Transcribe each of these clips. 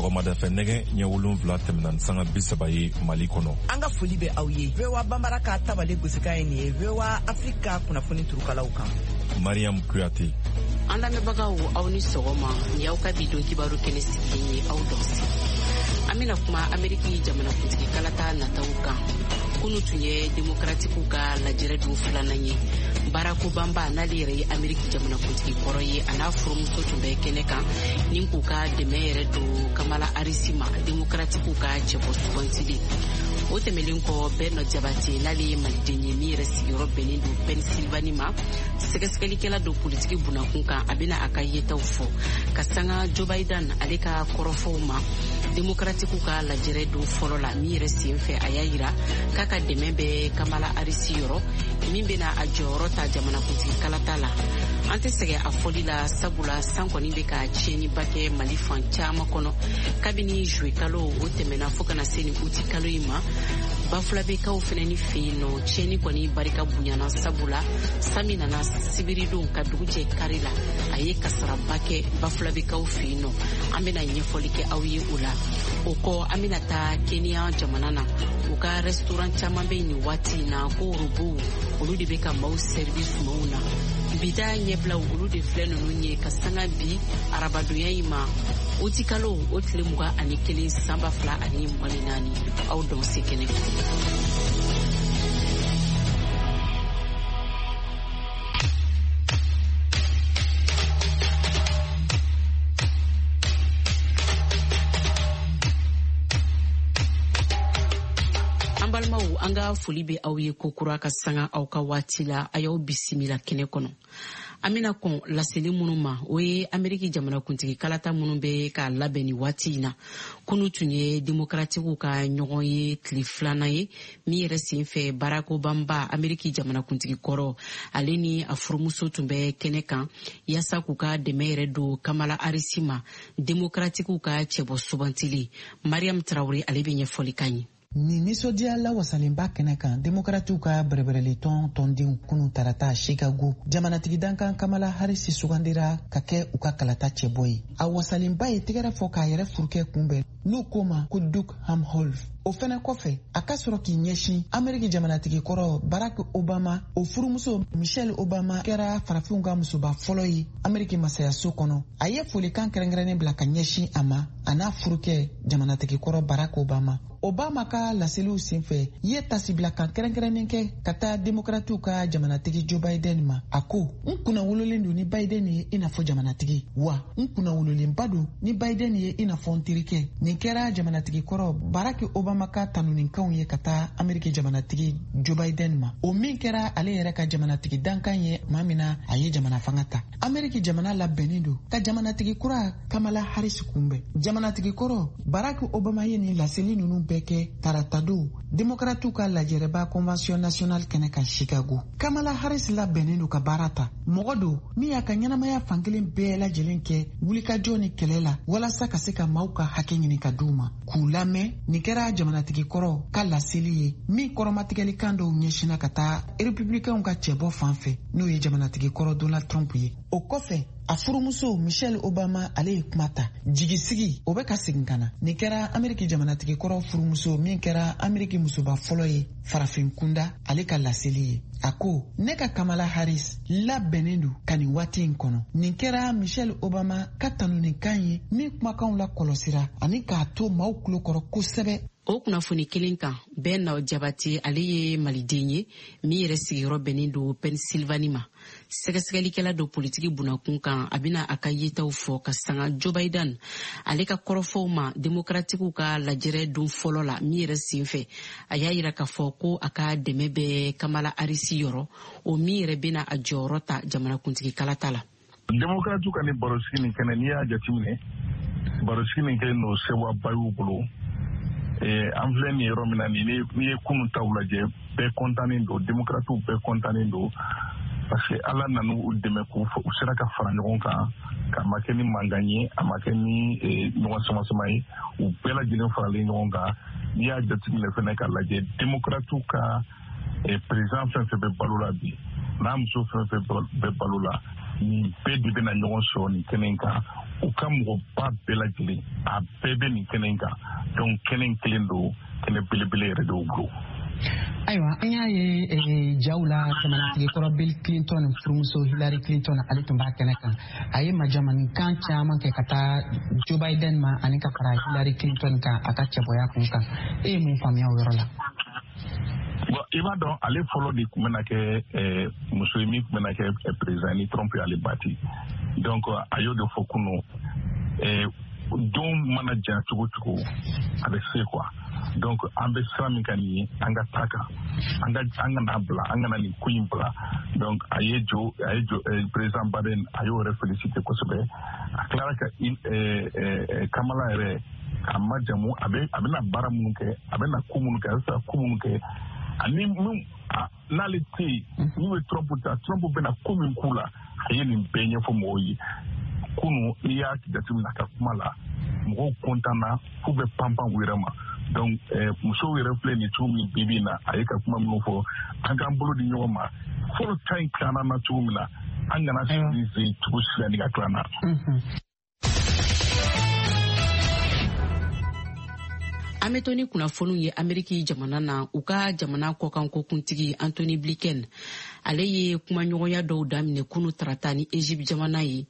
Sɔgɔmada fɛ nɛgɛ ɲɛ 7 tɛmɛna ni sanga 30 ye Mali kɔnɔ. An ka foli bɛ aw ye. VOA Banbara ka tabale gosikan ye nin ye VOA Afrique ka kunnafoni turukalaw kan. Mariam Kuyate. An lamɛnbagaw, aw ni sɔgɔma. Ni y'aw ka bi don kibaru kɛnɛ sigilen ye, aw dɔnse. An bɛna kuma Ameriki jamanakuntigi kalata nataw kan. Kunu tun ye demokratikiw ka lajɛrɛ don filanan ye. Barack Obama, n'ale yɛrɛ ye Ameriki jamanakuntigi kɔrɔ ye, a n'a furumuso tun bɛ kɛnɛ kan ni k'u ka dɛmɛ yɛrɛ don Kamala Harris ma, demokratikiw ka cɛbɔ sugantilen. O tɛmɛlen kɔ, Bɛnɔ Jabate, n'ale ye maliden ye min yɛrɛ sigiyɔrɔ bɛnnen don Pennsylvanie ma, sɛgɛsɛgɛlikɛla don politiki bunakun kan, a bɛna a ka yetaw fɔ ka sanga Joe Biden ale ka kɔrɔfɔw ma demokratikiw ka lajɛrɛ don fɔlɔ la, min yɛrɛ sen fɛ a y'a yira k'a ka dɛmɛ bɛ Kamala Harris yɔrɔ, min bɛna a jɔyɔrɔ ta jamanakuntigi kalata la. An tɛ sɛgɛn a fɔli la, sabula san kɔni bɛ ka tiɲɛniba kɛ Mali fan caman kɔnɔ kabini juillet kalo o tɛmɛna fo ka na se nin uti kalo in ma. Bafulabekaw fɛnɛ ni fɛ yen nɔ, tiɲɛni kɔni barika bonyana, sabula san min nana sibiridon ka dugu jɛ kari la, a ye kasaraba kɛ Bafulabekaw fɛ yen nɔ. An bɛna ɲɛfɔli kɛ aw ye o la. O kɔ, an bɛna taa Kenya jamana na. U ka restaurant caman bɛ nin waati in na ko robow olu de bɛ ka maaw servi sumanw na. Bi ta ɲɛbilaw, olu de filɛ ninnu ye ka sanga bi arabadonya in ma, utikalo o tile 21 san 2024. Aw dɔn se kɛnɛ. An balimaw, an ka foli bɛ aw ye kokura ka sanga aw ka waati la. A y'aw bisimila kɛnɛ kɔnɔ. An bɛna kɔn laseli minnu ma, o ye Ameriki jamanakuntigi kalata minnu bɛ ka labɛn ni waati in na. Kunu tun ye demokratikiw ka ɲɔgɔn ye tile filanan ye, min yɛrɛ sen fɛ Barack Obama, Ameriki jamanakuntigi kɔrɔ, ale ni a furumuso tun bɛ kɛnɛ kan yaasa k'u ka dɛmɛ yɛrɛ don Kamala Harris ma, demokratikiw ka cɛbɔ sugantili. Mariam Traore, ale bɛ ɲɛfɔli kan ye. Nin nisɔndiya lawasalenba kɛnɛ kan, Demokratiw ka bɛrɛbɛrɛlitɔn tɔndenw kunu tarata Chicago, jamanatigi dankan Kamala Harris sugandira ka kɛ u ka kalata cɛbɔ ye. A wasalenba ye tɛgɛrɛ fɔ k'a yɛrɛ furukɛ kunbɛn, n'u ko ma ko Doug Emhoff. O fɛnɛ kɔfɛ, a ka sɔrɔ k'i ɲɛsin Ameriki jamanatigi kɔrɔ Barack Obama, o furumuso Michelle Obama kɛra farafinw ka musoba fɔlɔ ye Ameriki masayaso kɔnɔ. A ye folikan kɛrɛnkɛrɛnnen bila ka ɲɛsin a ma, a n'a furukɛ jamanatigi kɔrɔ Barack Obama. Obama ka laseliw senfɛ ye tasibilakan kɛrɛnkɛrɛnnen kɛ ka taa Demokratiw ka jamanatigi Joe Biden ma. A ko: "N kunna wololen don ni Biden ye i n'a fɔ jamanatigi, wa n kunna wololenba don ni Biden ye i n'a fɔ n terikɛ." Nin kɛra jamanatigi kɔrɔ Barack Obama ka tanunikanw ye ka taa Ameriki jamanatigi Joe Biden ma, o min kɛra ale yɛrɛ ka jamanatigi dankan ye tuma min na a ye jamana fanga ta. Ameriki jamana labɛnnen don ka jamanatigi kura Kamala Harris kunbɛn. Jamanatigi kɔrɔ Barack Obama ye nin laseli ninnu bɛɛ kɛ taratadon Demokratiw ka lajɛrɛba Convention nationale kɛnɛ kan Chicago. Kamala Harris labɛnnen don ka baara ta. Mɔgɔ don min y'a ka ɲɛnamaya fankelen bɛɛ lajɛlen kɛ wulikajɔ ni kɛlɛ la walasa ka se ka maaw ka hakɛ ɲini ka d'u ma, k'u lamɛn. Nin kɛra jamanatigi kɔrɔ ka laseli ye min kɔrɔmatigɛlikan dɔw ɲɛsinna ka taa Republicainw ka cɛbɔ fan fɛ, n'o ye jamanatigi kɔrɔ Donald Trump ye. O kɔfɛ, a furumuso Michelle Obama, ale ye kuma ta. Jigisigi o bɛ ka segin ka na. Nin kɛra Ameriki jamanatigi kɔrɔ furumuso min kɛra Ameriki musoba fɔlɔ ye farafin kunda, ale ka laseli ye. A ko: "Ne ka Kamala Harris labɛnnen don ka nin waati in kɔnɔ." Nin kɛra Michelle Obama ka tanunikan ye min kumakanw la kɔlɔsira ani k'a to maaw tulo kɔrɔ kosɛbɛ. O kunnafoni kelen kan, Bɛn Jabate, ale ye maliden ye min yɛrɛ sigiyɔrɔ bɛnnen don Pennsylvanie ma, sɛgɛsɛgɛlikɛla don politiki bunakun kan. A bɛna a ka yetaw fɔ ka sanga Joe Biden ale ka kɔrɔfɔw ma demokratikiw ka lajɛrɛ don fɔlɔ la, min yɛrɛ sen fɛ a y'a yira k'a fɔ ko a ka dɛmɛ bɛ Kamala Harris yɔrɔ, o min yɛrɛ bɛna a jɔyɔrɔ ta jamanakuntigi kalata la. Demokratiw ka ni barosigi nin kɛnɛ, n'i y'a jateminɛ, barosigi nin kɛ n'o sewaba y'u bolo. An filɛ nin yɔrɔ min na nin, n'i ye kunun taw lajɛ, bɛɛ kɔntannen don, Demokratiw bɛɛ kɔntannen don, parce que Ala nana u dɛmɛ k'u u sera ka fara ɲɔgɔn kan, k'a ma kɛ ni mankan ye, a ma kɛ ni ɲɔgɔn sama-sama ye, u bɛɛ lajɛlen faralen ɲɔgɔn kan. N'i y'a jateminɛ fɛnɛ ka lajɛ, Demokratiw ka président fɛn fɛn bɛ balo la bi, n'a muso fɛn fɛn bɛ balo la, Nin bɛɛ de bɛna ɲɔgɔn sɔrɔ nin kɛnɛ in kan. U ka mɔgɔba bɛɛ lajɛlen, a bɛɛ bɛ nin kɛnɛ in kan. Donc kɛnɛ in kelen don, kɛnɛ belebele yɛrɛ de y'u bolo. Ayiwa, an y'a ye jaw la, jamanatigi kɔrɔ Bill Clinton furumuso Hillary Clinton, ale tun b'a kɛnɛ kan. A ye majamanikan caman kɛ ka taa Joe Biden ma ani ka fara Hillary Clinton kan a ka cɛbɔya kun kan. E ye mun faamuya o yɔrɔ la? Bon, i b'a dɔn, ale fɔlɔ de tun bɛna kɛ muso ye min tun bɛna kɛ président ni Trump y'ale bati. Donc a y'o de fɔ kunu, don mana ja cogo cogo, a bɛ se quoi. Donc an bɛ sira min kan nin ye, an ka taa kan, an ka an kana bila, an kana nin ko in bila. Donc a ye jo président Biden, a y'o yɛrɛ félicité kosɛbɛ. A tilara ka Kamala yɛrɛ k'a majamu, a bɛna baara minnu kɛ, a bɛna ko minnu kɛ, a bɛ fɛ ka ko minnu kɛ, ani min n'ale tɛ yen, n'u ye Trump ta, Trump bɛna ko min k'u la. A ye nin bɛɛ ɲɛfɔ mɔgɔw ye kunu. N'i y'a jateminɛ a ka kuma la, mɔgɔw kɔntanna f'u bɛ panpan u yɛrɛ ma. Donc musow yɛrɛ filɛ nin cogo min bi bi in na, a ye ka kuma minnu fɔ, an k'an bolo di ɲɔgɔn ma. Fɔlɔ ta in tilanna na cogo min na, an kana sigi cogo si la ni ka tilan na. An bɛ to ni kunnafoniw ye Ameriki jamana na. U ka jamana kɔkanko kuntigi Antony Blinken, ale ye kumaɲɔgɔnya dɔw daminɛ kunu tarata ni Egypte jamana ye,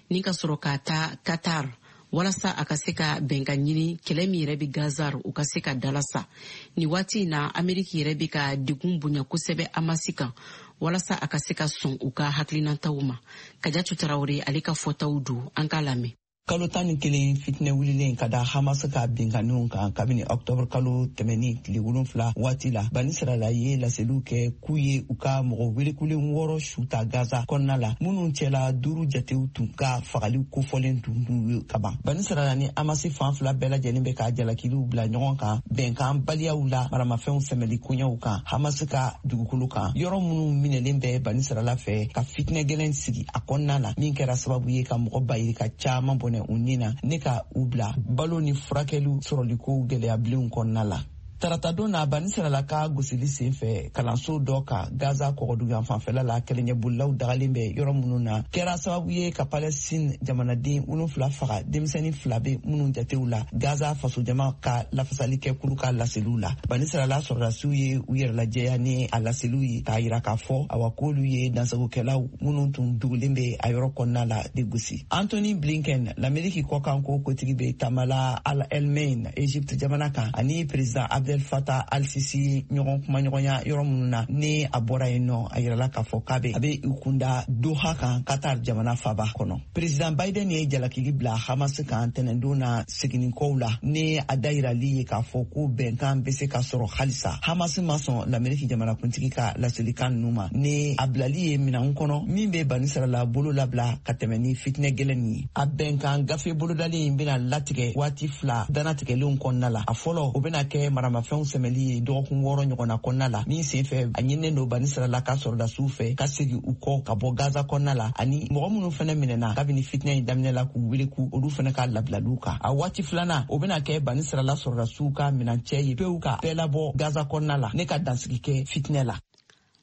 ni ka sɔrɔ ka taa Qatar, walasa a ka se ka bɛnkan ɲini kɛlɛ min yɛrɛ bɛ Gaza, u ka se ka dalasa. Nin waati in na, Ameriki yɛrɛ bɛ ka degun bonya kosɛbɛ Hamasi kan, walasa a ka se ka sɔn u ka hakilinataw ma. Kajatu Tarawele, ale ka fɔtaw don, an k'a lamɛn. Kalo 11 fitinɛ wulilen ka da Hamas ka binkanniw kan kabini ɔktɔbr kalo tɛmɛni tile 7 waati la, Banisirala ye laseliw kɛ k'u ye u ka mɔgɔ welekulen wɔɔrɔ su ta Gaza kɔnɔna la, minnu cɛla duuru jatew tun ka fagali kofɔlen tun t'u ye kaban. Banisirala ni Hamasi fan fila bɛɛ lajɛlen bɛ ka jalakiliw bila ɲɔgɔn kan bɛnkan baliyaw la maramafɛnw sɛmɛli koɲɛw kan Hamas ka dugukolo kan, yɔrɔ minnu minɛlen bɛ Banisirala fɛ, ka fitinɛ gɛlɛn sigi a kɔnɔna la, min kɛra sababu ye ka mɔgɔ bayirika caaman bɔnɛ u ni na, ne ka u bila balo ni furakɛliw sɔrɔliko gwɛlɛyabilenw kɔnɔna la. Taratadon na, Banisirala ka gosili sen fɛ kalanso dɔ ka Gaza kɔgɔdugan fanfɛla la, kɛlɛɲɛbolilaw dagalen bɛ yɔrɔ minnu na, kɛra sababu ye ka Palɛstine jamanaden 7 faga, denmisɛni fila bɛ minnu jatew la, Gaza fasojama ka lafasali kɛ kulu ka laseliw la. Banisirala sɔrɔdasiw ye u yɛrɛlajɛya ni a laseliw ye k'a yira k'a fɔ awa k'olu ye dansagokɛlaw minnu tun dugulen bɛ a yɔrɔ kɔnɔna la de gosi. Antony Blinken, Lameriki kɔkanko kotigi, bɛ taamala Al Alamein, Egypte jamana kan, ani président Abdel Fattah al-Sisi ɲɔgɔn kumaɲɔgɔnya yɔrɔ minnu na. Ni a bɔra yen nɔ, a yirala k'a fɔ k'a bɛ a bɛ i kunda Doha kan, Qatar jamana faba kɔnɔ. Président Biden ye jalakili bila Hamas kan tɛnɛndon na seginnikɔw la, ni a dayirali ye k'a fɔ ko bɛnkan bɛ se ka sɔrɔ halisa. Hamas ma sɔn Lameriki jamanakuntigi ka laselikan ninnu ma, ni a bilali ye minɛnw kɔnɔ min bɛ Banisirala bolo labila ka tɛmɛ ni fitinɛ gɛlɛn nin ye. A bɛnkan gafe bolodalen in bɛna latigɛ waati fila danatigɛlenw kɔnɔna la. A fɔlɔ, o bɛna kɛ maramafɛnw sɛmɛli ye dɔgɔkun 6 ɲɔgɔnna kɔnɔna la, min sen fɛ a ɲininen don Banisirala ka sɔrɔdasiw fɛ ka segin u kɔ ka bɔ Gaza kɔnɔna la, ani mɔgɔ minnu fɛnɛ minɛna kabini fitinɛ in daminɛ la, k'u wele k'u olu fɛnɛ ka labilaliw kan. A waati filanan, o bɛna kɛ Banisirala sɔrɔdasiw ka minancɛ ye pewu ka bɛɛ labɔ Gaza kɔnɔna la, ne ka dansigi kɛ fitinɛ la.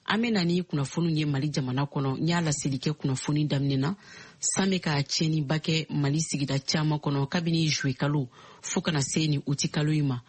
An bɛ na ni kunnafoniw ye Mali jamana kɔnɔ. N y'a laseli kɛ kunnafoni daminɛ na, san bɛ ka tiɲɛniba kɛ Mali sigida caman kɔnɔ kabini juwe kalo fɔɔ kana se ni uti kalo in ma.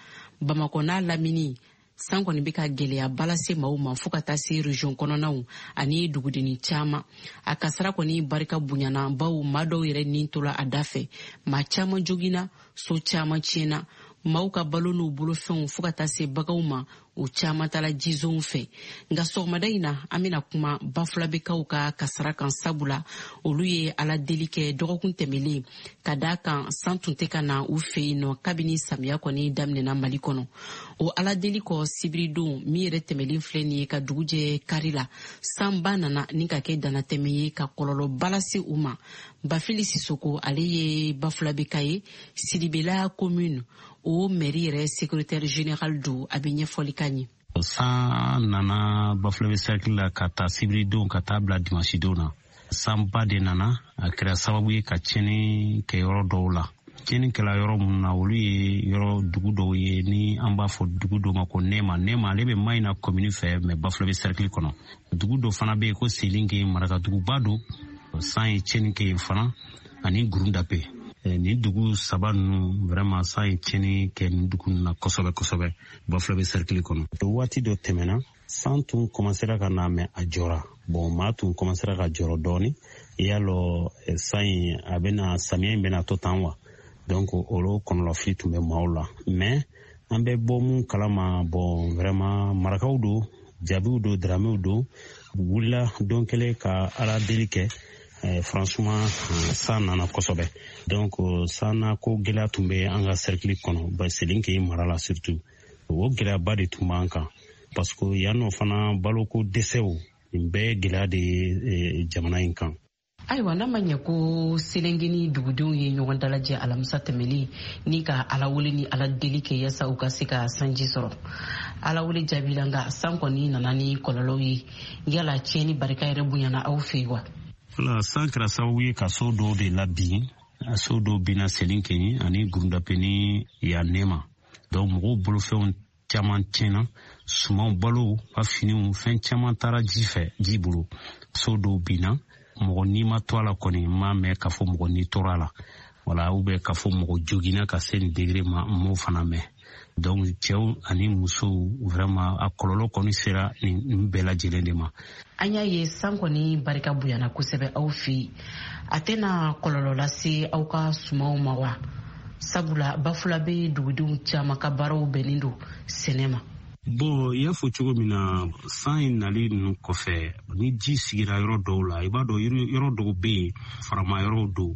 Bamakɔ n'a lamini, san kɔni bɛ ka gwɛlɛyaba lase maaw ma, fɔɔ ka taa se region kɔnɔnaw ani dugudenni caman. A kasara kɔni barika bonyana, baw maa dɔw yɛrɛ nin tola a da fɛ, maa caman jogina, so caman tiɲɛna, maaw ka balo n'u bolofɛnw, fɔɔ ka taa se baganw ma, o caman tala jizonw fɛ. Nka sɔgɔmada in na, an bena kuma Bafulabekaw ka kasara kan, sabula olu ye Ala deli kɛ dɔgɔkun tɛmɛlen, ka daa kan san tun tɛ ka na u fɛ yen nɔ kabini samiya kɔni daminɛna Mali kɔnɔ. O Ala deli kɔ, sibiridon min yɛrɛ tɛmɛlen filɛ nin ye, ka dugu jɛ kari la, sanba nana ni ka kɛ danatɛmɛ ye ka kɔlɔlɔba lase u ma. Bafili Sisoko, ale ye Bafulabeka ye, Sidibela commune, o mairie yɛrɛ secrétaire général don. A bɛ ɲɛfɔli ka ɲɛ. San nana Bafulabe cercle la ka taa sibiridon ka taa bila dimanche don na. Sanba de nana, a kɛra sababu ye ka tiɲɛni kɛ yɔrɔ dɔw la. Tiɲɛni kɛla yɔrɔ minnu na, olu ye yɔrɔ dugu dɔw ye ni an b'a fɔ dugu dɔw ma ko Nɛma. Nɛma, ale bɛ Mayina commune fɛ, mais Bafulabe cercle kɔnɔ. Dugu dɔ fana bɛ yen ko Selinke, marakaduguba don. San ye tiɲɛni kɛ yen fana ani Gurundape. Nin dugu saba ninnu vraiment san ye tiɲɛni kɛ nin dugu ninnu na kosɛbɛ kosɛbɛ Bafulabe cercle kɔnɔ. Waati dɔ tɛmɛna, san tun commencera ka na, mais a jɔra. Bon, maa tun commencera ka jɔrɔ dɔɔni, i y'a lɔ san in a bɛna, samiya in bɛna to tan wa. Donc olu kɔnɔlafili tun bɛ maaw la, mais an bɛ bɔ mun kalama, bon, vraiment marakaw don, jabiw don, daramew don, wulila don kelen ka Ala deli kɛ. Franchement, san nana kosɛbɛ. Donc san na ko gɛlɛya tun bɛ an ka cercle kɔnɔ, Selinke mara la surtout. O gɛlɛyaba de tun b'an kan, parce que yan nɔ fana baloko dɛsɛw, nin bɛɛ ye gɛlɛya de ye jamana in kan. Ayiwa, n'a ma ɲɛ ko Selengeni dugudenw ye ɲɔgɔn dalajɛ alamisa tɛmɛlen ni ka Ala wele ni Ala deli kɛ yasa u ka se ka sanji sɔrɔ, Ala wele jaabila, nka san kɔni nana ni kɔlɔlɔw ye. Yala tiɲɛni barika yɛrɛ bonyana aw fɛ yen wa? Wala, san kɛra sababu ye ka so dɔw de labin. So dɔw binna Selinkeni ani Gurundape ni yan Nema. Donc mɔgɔw bolofɛnw caman tiɲɛna, sumanw, balow ka finiw, fɛn caman taara ji fɛ, ji bolo. So dɔw binna, mɔgɔ n'i ma to a la kɔni, n m'a mɛn k'a fɔ mɔgɔ n'i tora a la wala, ou bien k'a fɔ mɔgɔ joginna ka se nin degré ma, n m'o fana mɛn. Donc cɛw ani musow, vraiment a kɔlɔlɔ kɔni sera nin bɛɛ lajɛlen de ma. An y'a ye san kɔni barika bonyana kosɛbɛ aw fɛ yen. A tɛna kɔlɔlɔ lase aw ka sumanw ma wa? Sabula Bafulabe dugudenw caman ka baaraw bɛnnen don sɛnɛ ma. Bon, i y'a fɔ cogo min na, san in nali ninnu kɔfɛ, ni ji sigira yɔrɔ dɔw la, i b'a dɔn yɔrɔ dɔw bɛ yen, farama yɔrɔw don.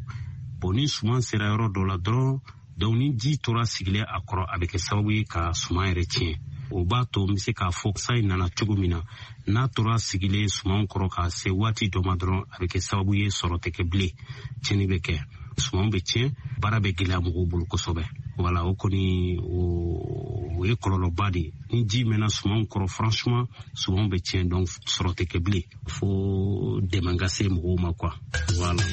Bon, ni suman sera yɔrɔ dɔw la dɔrɔn, donc ni ji tora sigilen a kɔrɔ, a bɛ kɛ sababu ye ka suman yɛrɛ tiɲɛ. O b'a to n bɛ se k'a fɔ san in nana cogo min na, n'a tora sigilen sumanw kɔrɔ ka se waati dɔ ma dɔrɔn, a bɛ kɛ sababu ye sɔrɔ tɛ kɛ bilen, tiɲɛni bɛ kɛ, sumanw bɛ tiɲɛ, baara bɛ gɛlɛya mɔgɔw bolo kosɛbɛ. Wala, o kɔni o ye kɔlɔlɔba de ye. Ni ji mɛnna sumanw kɔrɔ, franchement sumanw bɛ tiɲɛ, donc sɔrɔ tɛ kɛ bilen, fo dɛmɛ ka se mɔgɔw ma quoi, voilà.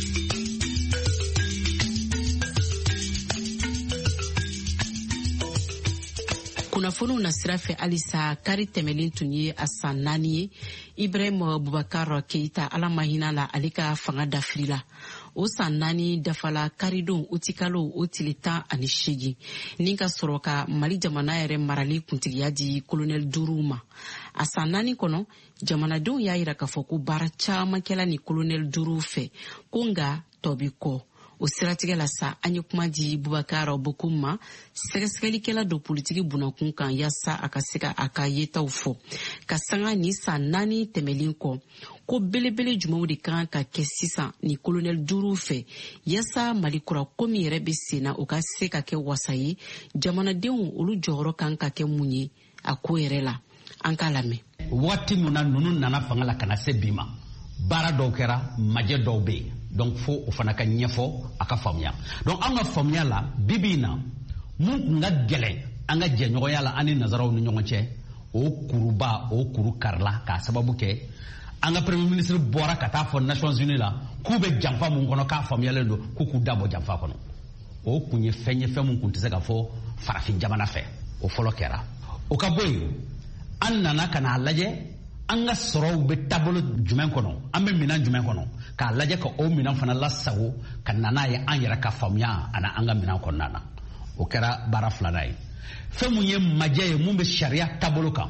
Kunnafoniw na sira fɛ halisa, kari tɛmɛlen tun ye a san 4 ye Ibrahim Bubakar Keita, Ala ma hinɛ la, ale ka fanga dafiri la. O san 4 dafala karidon utikalo o tile 18, ni ka sɔrɔ ka Mali jamana yɛrɛ marali kuntigiya di kolonɛli 5 ma. A san 4 kɔnɔ, jamanadenw y'a yira k'a fɔ ko baara caman kɛla ni kolonɛli 5 fɛ, ko nka tɔ bi kɔ. O siratigɛ la sa, an ye kuma di Bubakar Bokum ma, sɛgɛsɛgɛlikɛla don politiki bunakun kan, yaasa a ka se ka a ka yetaw fɔ ka sanga ni san 4 tɛmɛlen kɔ, ko belebele jumɛnw de kan ka kɛ sisan ni kolonɛli 5 fɛ yaasa Mali kura ko min yɛrɛ bɛ sen na, o ka se ka kɛ wasa ye jamanadenw, olu jɔyɔrɔ kan ka kɛ mun ye a ko yɛrɛ la. An k'a lamɛn. Waati min na ninnu nana fanga la ka na se bi ma, baara dɔw kɛra, majɛ dɔw bɛ yen, donc fo o fana ka ɲɛfɔ a ka faamuya. Donc an ka faamuya la, bi bi in na, mun kun ka gɛlɛn an ka jɛɲɔgɔnya la an ni nazaraw ni ɲɔgɔn cɛ, o kuruba o kuru karila k'a sababu kɛ an ka premier ministre bɔra ka taa fɔ Nations Unies la k'u bɛ janfa mun kɔnɔ, k'a faamuyalen don, k'u k'u da bɔ janfa kɔnɔ. O kun ye fɛn ye, fɛn mun kun tɛ se ka fɔ farafin jamana fɛ. O fɔlɔ kɛra. O ka bɔ yen, an nana ka n'a lajɛ an ka sɔrɔw bɛ taabolo jumɛn kɔnɔ, an bɛ minɛn jumɛn kɔnɔ, k'a lajɛ ka o minɛn fana lasago ka na n'a ye an yɛrɛ ka faamuya ani an ka minɛn kɔnɔna na. O kɛra baara filanan ye. Fɛn mun ye majɛ ye mun bɛ sariya taabolo kan,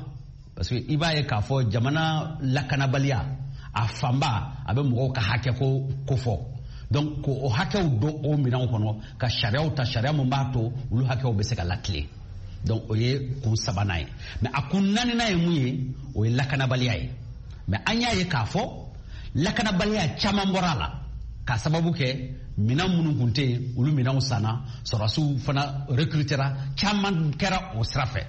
parce que i b'a ye k'a fɔ jamana lakanabaliya a fanba a bɛ mɔgɔw ka hakɛ ko kofɔ. Donc k'o hakɛw don o minɛnw kɔnɔ, ka sariyaw ta, sariya mun b'a to olu hakɛw bɛ se ka latilen. Donc o ye kun sabanan ye. Mais a kun naaninan ye mun ye? O ye lakanabaliya ye. Mais an y'a ye k'a fɔ lakanabaliya caman bɔra a la k'a sababu kɛ minɛn minnu kun tɛ yen, olu minɛnw sanna, sɔrɔdasiw fana recrutera, caman kɛra o sira fɛ.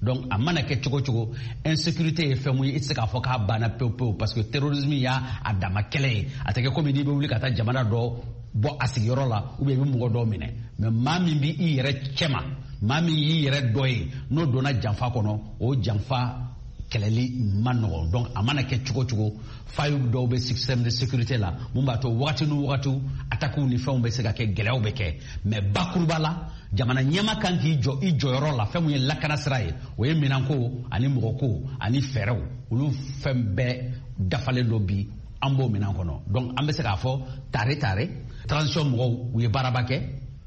Donc a mana kɛ cogo cogo, insécurité ye fɛn mun ye, i tɛ se k'a fɔ k'a banna pewu pewu, parce que terrorisme y'a a dama kɛlɛ ye. A tɛ kɛ komi n'i bɛ wuli ka taa jamana dɔ bɔ a sigiyɔrɔ la, ou bien i bɛ mɔgɔ dɔw minɛ. Mais maa min b'i yɛrɛ cɛma, maa min y'i yɛrɛ dɔ ye, n'o donna janfa kɔnɔ, o janfa kɛlɛli man nɔgɔn. Donc a mana kɛ cogo cogo, failles dɔw bɛ système de sécurité la mun b'a to wagati ni wagati attaques ni fɛnw bɛ se ka kɛ, gɛlɛyaw bɛ kɛ. Mais bakuruba la, jamana ɲɛma kan k'i jɔ i jɔyɔrɔ la. Fɛn mun ye lakana sira ye, o ye minɛnko ani mɔgɔko ani fɛɛrɛw, olu fɛn bɛɛ dafalen don bi. An b'o minɛn kɔnɔ. Donc an bɛ se k'a fɔ tare tare transition mɔgɔw u ye baaraba kɛ,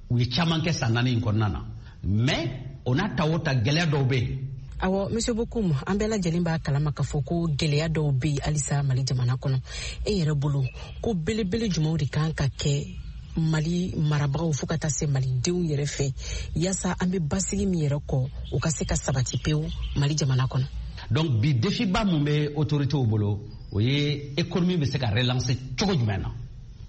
u ye caman kɛ san 4 in kɔnɔna na, mais o n'a ta o ta gɛlɛya dɔw bɛ yen. Awɔ, Monsieur Bocoum, an bɛɛ lajɛlen b'a kalama k'a fɔ ko gɛlɛya dɔw bɛ yen halisa Mali jamana kɔnɔ. E yɛrɛ bolo, ko belebele jumɛnw de kan ka kɛ Mali marabagaw fo ka taa se malidenw yɛrɛ fɛ, yaasa an bɛ basigi min yɛrɛ kɔ, o ka se ka sabati pewu Mali jamana kɔnɔ? Donc bi défi ba mun bɛ autorités bolo, o ye économie bɛ se ka relancer cogo jumɛn na,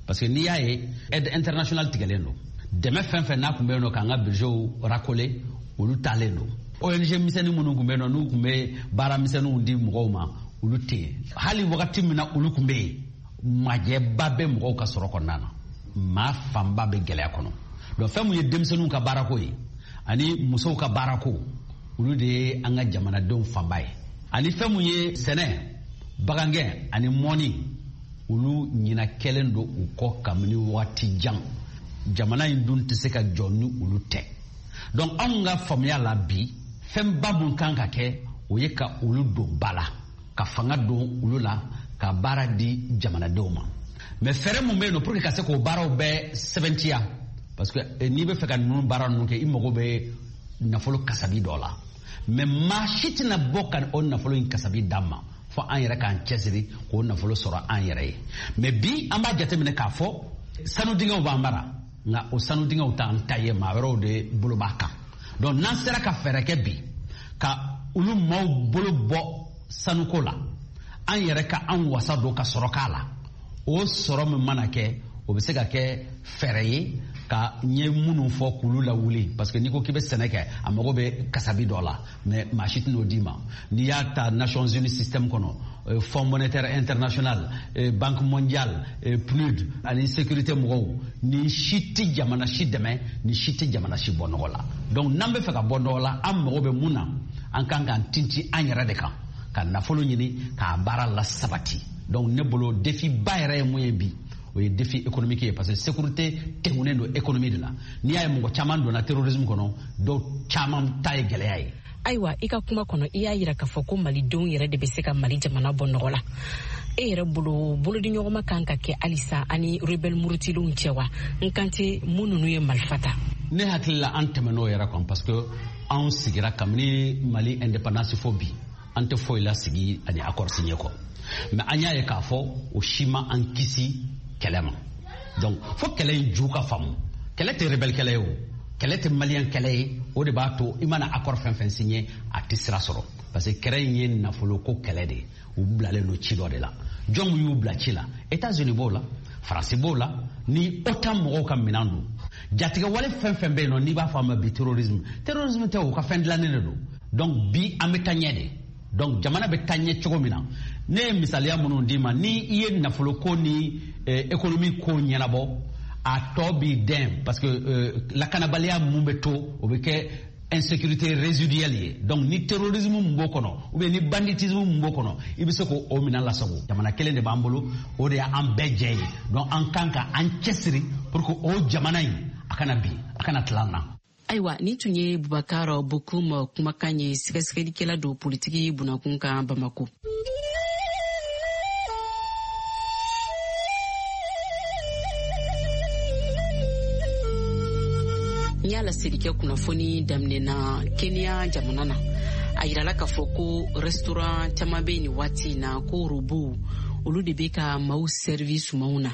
parce que n'i y'a ye aide internationale tigɛlen don, dɛmɛ fɛn fɛn n'a tun bɛ yen nɔ k'an ka budgetw racoler, olu taalen don. ONG misɛnnin minnu tun bɛ yen nɔ, n'u tun bɛ baara misɛnninw di mɔgɔw ma, olu tɛ yen. Hali wagati min na olu tun bɛ yen, majɛba bɛ mɔgɔw ka sɔrɔ kɔnɔna na, maa fanba bɛ gɛlɛya kɔnɔ. Donc fɛn mun ye denmisɛnninw ka baarako ye ani musow ka baarako, olu de ye an ka jamanadenw fanba ye. Ani fɛn mun ye sɛnɛ, bagangɛn ani mɔni, olu ɲina kɛlen don u kɔ kabini wagati jan. Jamana in dun tɛ se ka jɔ ni olu tɛ. Donc anw ka faamuya la bi, fɛnba mun kan ka kɛ, o ye ka olu don ba la, ka fanga don olu la, ka baara di jamanadenw ma. Mais fɛɛrɛ mun bɛ yen nɔ pour que ka se k'o baaraw bɛɛ sɛbɛntiya, parce que n'i bɛ fɛ ka ninnu baara ninnu kɛ, i mago bɛ nafolo kasabi dɔ la. Mais maa si tɛna bɔ ka o nafolo in kasabi d'an ma fo an yɛrɛ k'an cɛsiri k'o nafolo sɔrɔ an yɛrɛ ye. Mais bi an b'a jateminɛ k'a fɔ sanu dingɛw b'an bara, nka o sanu dingɛw t'an ta ye, maa wɛrɛw de bolo b'a kan. Donc n'an sera ka fɛɛrɛ kɛ bi ka olu maaw bolo bɔ sanuko la, an yɛrɛ ka an wasa don ka sɔrɔ k'a la, o sɔrɔ min mana kɛ, o bɛ se ka kɛ fɛɛrɛ ye ka ɲɛ minnu fɔ k'olu lawuli, parce que n'i ko k'i bɛ sɛnɛ kɛ, a mago bɛ kasabi dɔ la, mais maa si tɛn'o d'i ma. N'i y'a ta Nations Unies système kɔnɔ, Fonds monétaire international, Banque mondiale, PNUD ani sécurité mɔgɔw, ni si tɛ jamana si dɛmɛ, ni si tɛ jamana si bɔ nɔgɔ la. Donc n'an bɛ fɛ ka bɔ nɔgɔ la, an mago bɛ mun na? An kan k'an tintin an yɛrɛ de kan, ka nafolo ɲini k'a baara la sabati. Donc ne bolo, défi ba yɛrɛ ye mun ye bi, o ye défi économique ye, parce que sécurité tɛnkunnen don économie de la. N'i y'a ye mɔgɔ caman donna terrorisme kɔnɔ, dɔw caman ta ye gɛlɛya ye. Ayiwa, i ka kuma kɔnɔ, i y'a yira k'a fɔ ko malidenw yɛrɛ de bɛ se ka Mali jamana bɔ nɔgɔ la. E yɛrɛ bolo, bolodiɲɔgɔnma kan ka kɛ halisa ani rebelle murutilenw cɛ wa? N kan tɛ mun ninnu ye marifa ta. Ne hakili la, an tɛmɛn'o yɛrɛ kan, parce que anw sigira kabini Mali indépendance fo bi, an tɛ foyi la sigi ani accord signé kɔ. Mais an y'a ye k'a fɔ o si ma an kisi kɛlɛ ma. Donc fo kɛlɛ in ju ka faamu. Kɛlɛ tɛ rebelle kɛlɛ ye, o kɛlɛ tɛ malien kɛlɛ ye. O de b'a to i mana accord fɛn fɛn signé, a tɛ sira sɔrɔ, parce que kɛlɛ in ye nafolo ko kɛlɛ de ye. U bilalen don ci dɔ de la. Jɔn mun y'u bila ci la? États-Unis b'o la, Faransi b'o la, ni OTAN mɔgɔw ka minɛn don. Jatigɛ wale fɛn fɛn bɛ yen nɔ, n'i b'a fɔ a ma bi terrorisme, terrorisme tɛ, o ka fɛn dilannen de don. Donc bi an bɛ taa ɲɛ de. Donc jamana bɛ taa ɲɛ cogo min na, ne ye misaliya minnu d'i ma, ni i ye nafolo ko ni économie ko ɲɛnabɔ, a tɔ b'i dɛn, parce que lakanabaliya mun bɛ to, o bɛ kɛ insécurité résiduelle ye. Donc ni terrorisme mun b'o kɔnɔ, ou bien ni banditisme mun b'o kɔnɔ, i bɛ se k'o minɛn lasago. Jamana kelen de b'an bolo, o de y'an bɛɛ jɛ ye. Donc an kan ka an cɛsiri pour que o jamana in a kana bin, a kana tila an na. Ayiwa, nin tun ye Bubakar Bokum kumakan ye, sɛgɛsɛgɛlikɛla don politiki bunakun kan Bamako. N y'a laseli kɛ kunnafoni daminɛ na, Kenya jamana na, a yirala k'a fɔ ko restaurant caman bɛ nin waati in na ko robow olu de bɛ ka maaw servi sumanw na.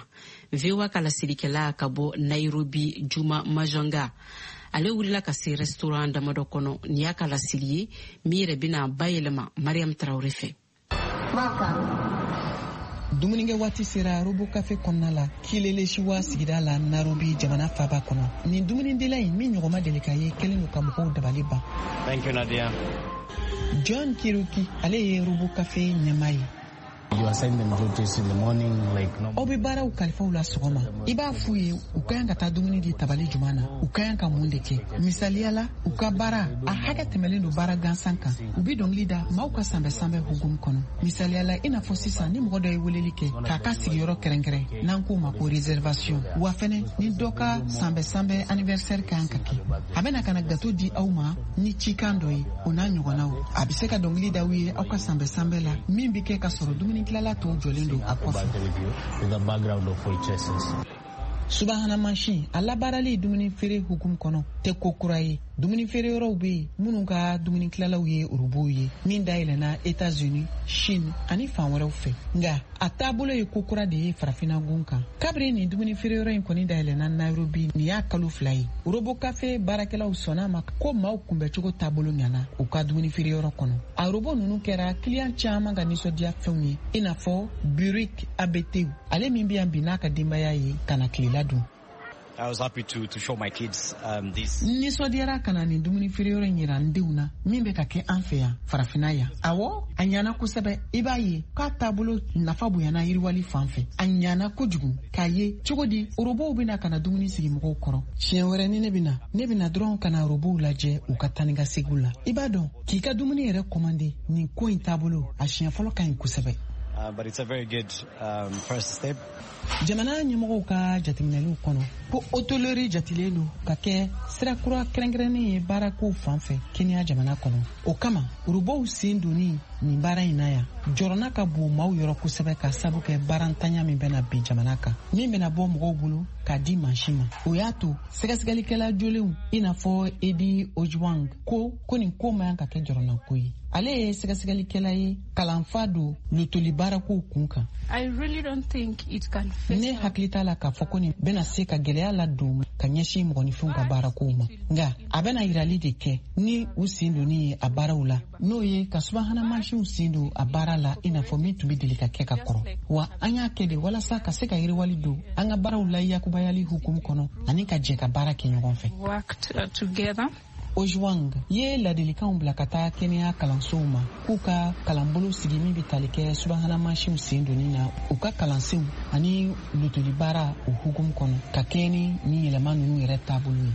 VOA ka laselikɛla ka bɔ Nairobi, Juma Majanga, ale wulila ka se restaurant damadɔ kɔnɔ. Nin y'a ka laseli ye min yɛrɛ bɛna bayɛlɛma Mariam Tarawele fɛ. Dumunikɛ waati sera Robo Cafe kɔnɔna la, Kileleshwa sigida la, Nairobi jamana faba kɔnɔ. Nin dumunidila in min ɲɔgɔn ma deli ka ye, kɛlen don ka mɔgɔw dabali ban. Thank you, Nadia. John Kiruki, ale ye Robo Cafe ɲɛmaa ye. Aw bɛ baaraw kalifaw la sɔgɔma, i b'a f'u ye u ka kan ka taa dumuni di tabali juman na, u ka kan ka mun de kɛ. Misaliya la, u ka baara a hakɛ tɛmɛlen don baara gansan kan. U bɛ dɔnkili da maaw ka sanbɛ sanbɛ hukumu kɔnɔ. Misaliya la, i n'a fɔ sisan, ni mɔgɔ dɔ ye weleli kɛ k'a ka sigiyɔrɔ kɛrɛnkɛrɛn, n'an k'o ma ko réservation, wa fɛnɛ ni dɔ ka sanbɛ sanbɛ anniversaire ka kan ka kɛ, a bɛna ka na gâteau di aw ma ni cikan dɔ ye, o n'a ɲɔgɔnnaw. A bɛ se ka dɔnkili da aw ye aw ka sanbɛ sanbɛ la min bɛ kɛ ka sɔrɔ dumuni. dumuni tilala tɔw jɔlen don a kɔfɛ. Subahana mansin a labaarali dumuni feere hukumu kɔnɔ tɛ ko kura ye. Dumuni feere yɔrɔw bɛ yen minnu ka dumuni tilalaw ye orobow ye, min dayɛlɛnna Etats-Unis, Chine ani fan wɛrɛw fɛ. Nka a taabolo ye ko kura de ye farafinna gun kan. Kabiri nin dumuni feere yɔrɔ in kɔni dayɛlɛnna Nairobi, nin y'a kalo 2 ye. Robo kafe baarakɛlaw sɔnna ma ko maaw kunbɛcogo taabolo ɲana u ka dumuni feere yɔrɔ kɔnɔ. A robo ninnu kɛra kiliyan caman ka nisɔndiya fɛnw ye, i n'a fɔ Burik Abetew, ale min bɛ yan bi n'a ka denbaya ye ka na tilela dun. I was happy to show my kids this. N nisɔndiyara ka na nin dumuni feere yɔrɔ in yira n denw na min bɛ ka kɛ an fɛ yan farafinna yan. Awɔ, a ɲana kosɛbɛ. I b'a ye k'a taabolo nafa bonyana yiriwali fan fɛ. A ɲana kojugu k'a ye cogo di orobow bɛna ka na dumuni sigi mɔgɔw kɔrɔ. Siɲɛ wɛrɛ ni ne bɛna, ne bɛna dɔrɔn ka na orobow lajɛ u ka taa ni ka seginw la. I b'a dɔn k'i ka dumuni yɛrɛ kɔmande, nin ko in taabolo a siɲɛ fɔlɔ ka ɲi kosɛbɛ. But it's a very good first step. Jamana ɲɛmɔgɔw ka jateminɛliw kɔnɔ ko hôtellerie jatilen don ka kɛ sira kura kɛrɛnkɛrɛnnen ye baarakow fan fɛ Kenya jamana kɔnɔ. O kama robow sen donni nin baara in na yan jɔrɔna ka bon maaw yɔrɔ kosɛbɛ, ka sabu kɛ baarantanya min bɛna bin jamana kan, min bɛna bɔ mɔgɔw bolo k'a di mansin ma. O y'a to sɛgɛsɛgɛlikɛla jolenw i n'a fɔ Edi Ojwang ko nin ko man kan ka kɛ jɔrɔnako ye. Ale ye sɛgɛsɛgɛlikɛla ye, kalanfa don lotoli baarakow kun kan. Ne hakili t'a la k'a fɔ ko nin bɛna se ka gɛlɛya ladon ka ɲɛsin mɔgɔninfinw ka baarakow ma, nka a bɛna yirali de kɛ ni u sen donni ye a baaraw la, n'o ye ka subahana mansinw sen don a baara la, i n'a fɔ min tun bɛ deli ka kɛ ka kɔrɔ. Wa an y'a kɛ de walasa ka se ka yiriwali don an ka baaraw la yakubayali hukumu kɔnɔ ani ka jɛ ka baara kɛ ɲɔgɔn fɛ. Ojwang ye ladilikanw bila ka taa kɛnɛya kalansow ma k'u ka kalanbolo sigi min bɛ tali kɛ subahana mansinw sen donni na u ka kalansenw ani lotoli baara o hukumu kɔnɔ, ka kɛɲɛ ni nin yɛlɛma ninnu yɛrɛ taabolo ye.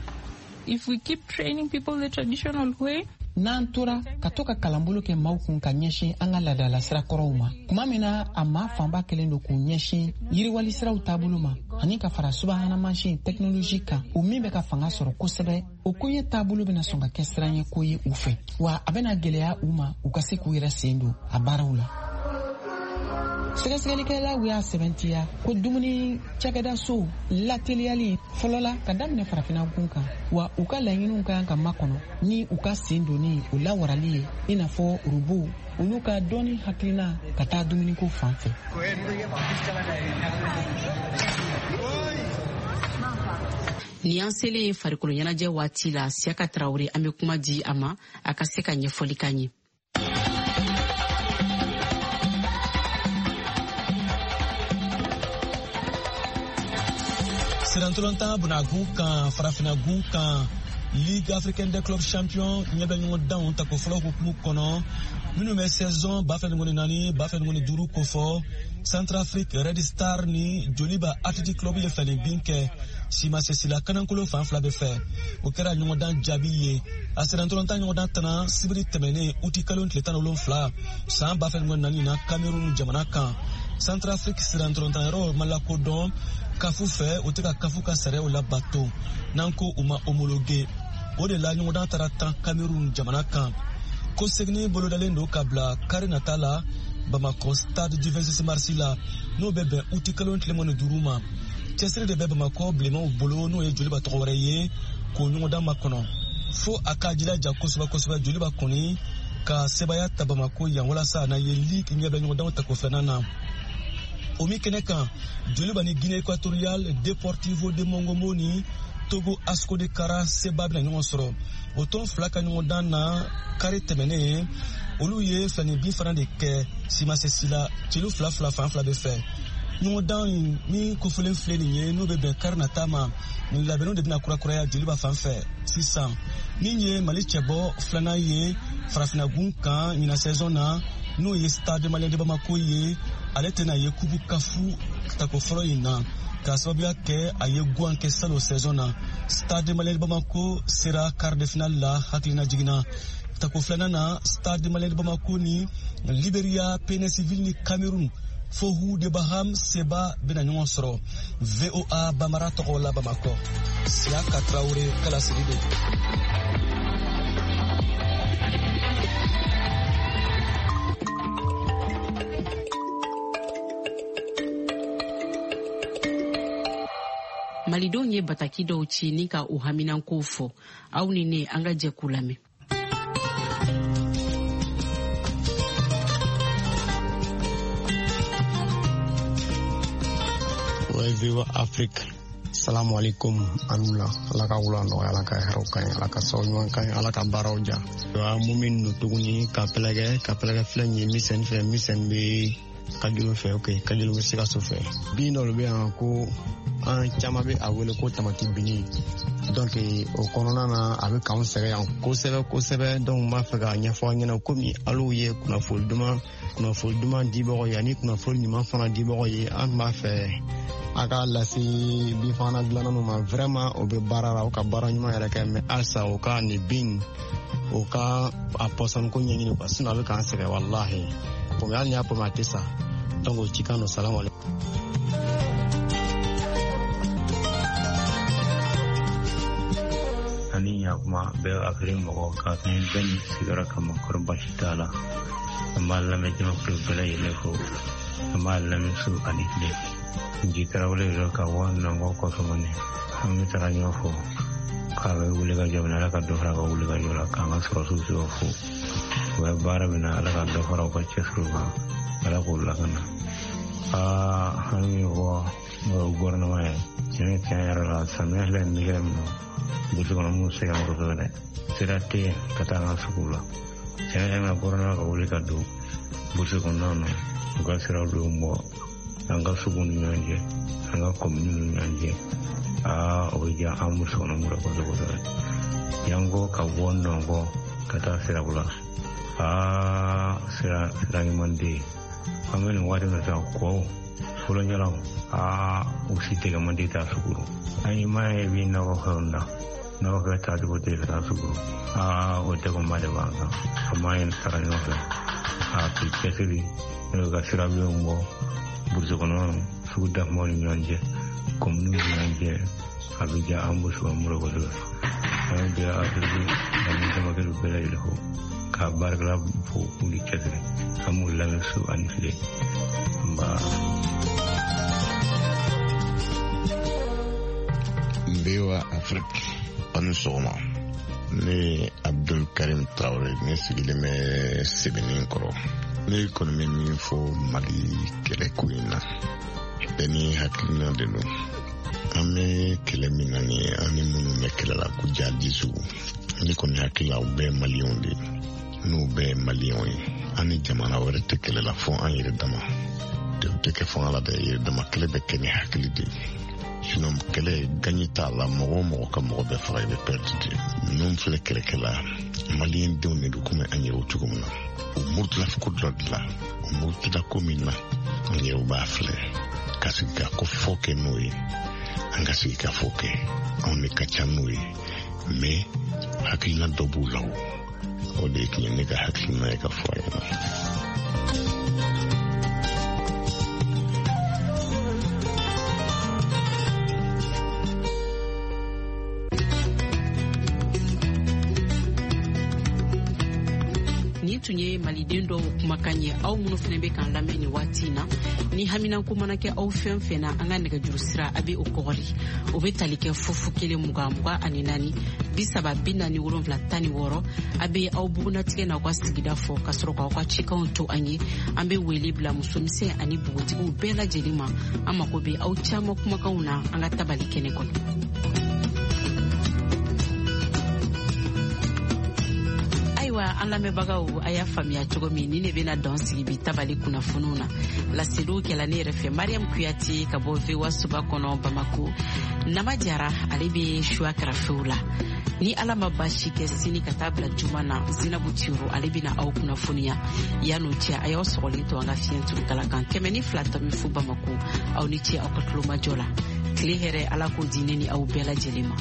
If we keep training people the traditional way, n'an tora ka to ka kalanbolo kɛ maaw kun ka ɲɛsin an ka laadala sira kɔrɔw ma, tuma min na a maa fanba kɛlen don k'u ɲɛsin yiriwali siraw taabolo ma ani ka fara subahana mansin tɛkinolozi kan, o min bɛ ka fanga sɔrɔ kosɛbɛ, o koɲɛ taabolo bɛna sɔn ka kɛ siranɲɛ ko ye u fɛ, wa a bɛna gɛlɛya u ma u ka se k'u yɛrɛ sen don a baaraw la. Sɛgɛsɛgɛlikɛlaw y'a sɛbɛntiya ko dumuni cakɛdasow lateliyali fɔlɔla ka daminɛ farafinna gun kan, wa u ka laɲiniw ka kan ka makɔnɔ ni u ka sen donni o lawarali ye, i n'a fɔ robow olu ka dɔnni hakilina ka taa dumuniko fan fɛ. Nin y'an selen farikolo ɲɛnajɛ waati la. Siyaka Tarawele, an bɛ kuma di a ma a ka se ka ɲɛfɔli k'an ye. Sirantolontan bunagun kan, farafinagun kan, Ligue africaine des clubs champions ɲɛbɛ ɲɔgɔndanw tako fɔlɔ hukumu kɔnɔ, minnu bɛ saison 2024 2025 kofɔ, Centrafrique Red Star ni Joliba Athletic Club ye fɛlɛ bin kɛ simasesila kanankolo fan fila bɛ fɛ. O kɛra ɲɔgɔndan jaabi ye. A sirantolontan ɲɔgɔndan tana sibiri tɛmɛnen uti kalo tile 17 san 2024 na Cameroun jamana kan. Centrafrique sirantolontan yɔrɔ ma lakodɔn kafu fɛ, o tɛ ka kafu ka sariyaw labato n'an ko u ma homologué. O de la ɲɔgɔndan taara tan Cameroun jamana kan. Ko seginni bolodalen don ka bila kari nata la Bamakɔ stade du 26 mars la, n'o bɛ bɛn uti kalo tile 25 ma. Cɛsiri de bɛ Bamakɔ bilenmanw bolo, n'o ye Joliba tɔgɔ wɛrɛ ye, k'o ɲɔgɔndan makɔnɔ. Fo a k'a jilaja kosɛbɛ kosɛbɛ Joliba kɔni ka sebaaya ta Bamakɔ yan walasa a na ye ligue ɲɛbɛ ɲɔgɔndanw tako filanan na. O min kɛnɛ kan, Joliba ni Guinée équatoriale Deportivo de Mongomo ni Togo Asco de Kara seba bɛna ɲɔgɔn sɔrɔ. O tɔn fila ka ɲɔgɔndan na kari tɛmɛnen, olu ye fɛnni bin fana de kɛ simasesi la, celu 2-2 fan fila bɛ fɛ. Ɲɔgɔndan min kofɔlen filɛ nin ye, n'o bɛ bɛn kari nata ma, nin labɛnniw de bɛna kurakuraya Joliba fan fɛ sisan. Min ye Mali cɛbɔ filanan ye farafinagun kan ɲinan saison na, n'o ye Stade Malien de Bamako ye, ale tɛna ye kupu kafu tako fɔlɔ in na, k'a sababuya kɛ a ye guwan kɛ salon saison na. Stade Malien de Bamako sera quart de finale la hakilina jiginna. Tako filanan na, Stade Malien de Bamako ni Liberia PNS ni Cameroun Fohu de Baham Seba bɛna ɲɔgɔn sɔrɔ. VOA Bamara tɔgɔ la Bamakɔ, Siyaka Tarawele kalasigi don. Malidenw ye bataki dɔw ci ni ka u haminankow fɔ. Aw ni ne, an ka jɛ k'u lamɛn. VOA Afrique. Salamu alaikum anula. Ala ka wula nɔgɔya, Ala ka hɛrɛw ka ɲi, Ala ka sababu ɲuman ka ɲi, Ala ka baaraw diya. Mun min don tuguni ka pɛlɛkɛ filɛ nin ye misɛn fɛ, misɛn bɛ Kajolo fɛ, ok, Kajolo bɛ Sikaso fɛ. Bin dɔ de bɛ yan ko an caman bɛ a wele ko tamati bini. Donc o kɔnɔna na a bɛ k'anw sɛgɛn yan kosɛbɛ kosɛbɛ. Donc n b'a fɛ k'a ɲɛfɔ aw ɲɛna komi al'u ye kunnafoni duman dibagaw ye ani kunnafoni ɲuman fana dibagaw ye, an b'a fɛ a k'a lase binfagalan dilannaw ma. Vraiment o bɛ baara la, o ka baara ɲuman yɛrɛ kɛ, mais halisa o ka nin bin o ka a pɔsɔni ko ɲɛɲini quoi, sinon a bɛ k'an sɛgɛn walahi. Pɔmɛ hali n'i y'a pɔmɛ a tɛ sa. Donc o cikan don. Salamu alaikum. Ani ɲakuma bɛɛ Afiriki mɔgɔ ka fɛn bɛɛ ni sigiyɔrɔ kama, kɔrɔ baasi t'a la. An b'a lamɛn jamakulu bɛɛ lajɛlen fo, an b'a lamɛn su ani tile. Nji Tarawele yɛrɛ ka bɔ Nɔngɔ kɔsɔmani, an bɛ taga ɲɔgɔn fo k'a bɛ wuli ka jɔ min na, Ala ka dɔ fara a ka wuli ka jɔ la, k'an ka sɔrɔsiw sɔrɔ fo. U bɛ baara min na, Ala ka dɔ fara u ka cɛsiriw kan, Ala k'u lakana. An bɛ min fɔ gouvernement ye, tiɲɛ yɛrɛ la, samiya filɛ nin bɛ min na, burusi kɔnɔ minnu sɛgɛn kosɛbɛ dɛ, sira tɛ yen ka taa an ka sugu la. Tiɲɛ yɛrɛ la, gouvernement ka wuli ka don burusi kɔnɔna na, u ka siraw dɔw bɔ an ka sugu ni ɲɔgɔn cɛ, an ka kominiw ni ɲɔgɔn cɛ. O bɛ diya an burusi kɔnɔ mɔgɔ kosɛbɛ kosɛbɛ. Yanko ka bɔ Nɔngɔ ka taa Sirabula, sira ɲuman tɛ yen. An bɛ nin waati min na sisan, kɔw fɔlɔɲɔgɔnw, u si tɛgɛ man di taa sugu. An ye maa ye bi nakɔ fɛnw na, nakɔ fɛn taacogo tɛ ka taa sugu. O degunba de b'an kan. An b'a ɲini taga ɲɔgɔn fɛ, k'i cɛsiri n'o ka sirabilenw bɔ burusi kɔnɔ sugu dakumaw ni ɲɔgɔn cɛ, kominiw ni ɲɔgɔn cɛ, a bɛ diya an burusi kɔnɔ mɔgɔ kosɛbɛ. An bɛ bila Afiriki ani jamakulu bɛɛ lajɛlen fo, k'a baarakɛla fo k'u ni cɛsiri. An b'u lamɛn su ani tile. Nba. VOA Afrique, aw ni sɔgɔma. Ne ye Abdul Karim Traore, ne sigilen bɛ Sebeninkɔrɔ. Ne kɔni bɛ min fɔ Mali kɛlɛko in na, bɛɛ ni hakilina de don. An bɛ kɛlɛ min na nin ye, an ni minnu bɛ kɛlɛ la ko jihadisiw, ne kɔni hakili la u bɛɛ ye maliyɛnw de ye. N'u bɛɛ ye maliyɛnw ye, an ni jamana wɛrɛ tɛ kɛlɛ la fo an yɛrɛ dama. O tɛ kɛ fanga la dɛ, yɛrɛ dama kɛlɛ bɛ kɛ ni hakili de ye. Sinon kɛlɛ gagne t'a la, mɔgɔ o mɔgɔ ka mɔgɔ bɛɛ faga, i bɛ perdre de. Ninnu filɛ kɛlɛkɛla, maliyɛn denw de don komi an yɛrɛw cogo min na. U murutila ko dɔ de la, u murutila ko min na, an yɛrɛw b'a filɛ ka sigi ka ko fɔ kɛ n'o ye. An ka sigi ka fɔ kɛ, anw de ka ca n'o ye, mais hakilina dɔ b'u la o. O de tun ye ne ka hakilina ye ka fɔ a ɲɛna. Nin tun ye maliden dɔw kumakan ye. Aw minnu fana bɛ k'an lamɛn nin waati in na, ni haminanko mana kɛ aw fɛn fɛn na, an ka nɛgɛjuru sira a bɛ o kɔgɔri, o bɛ tali kɛ 0 0 20 24 30 47 16. A bɛ aw bugunatigɛ n'aw ka sigida fɔ ka sɔrɔ k'aw ka cikanw to an ye. An bɛ wele bila musomisɛn ani npogotigiw bɛɛ lajɛlen ma. An mako bɛ aw caman kumakanw na an ka tabali kɛnɛ kɔnɔ. Ayiwa, an lamɛnbagaw, a y'a faamuya cogo min, ni ne bɛna dɔn sigi bi tabali kunnafoniw na. Laseliw kɛla ne yɛrɛ fɛ, Mariam Kuyate ka bɔ VOA soba kɔnɔ Bamako. Nama Jara ale bɛ suwa karafew la. Ni Ala ma baasi kɛ, sini ka taa bila juma na, Zinabu Tiro ale bɛna aw kunnafoniya. Yan'o cɛ, a y'aw sɔgɔlen to an ka fiɲɛ turukala kan 102.0 Bamako. Aw ni ce aw ka tulomajɔ la. Tile hɛrɛ, Ala k'o di ne ni aw bɛɛ lajɛlen ma.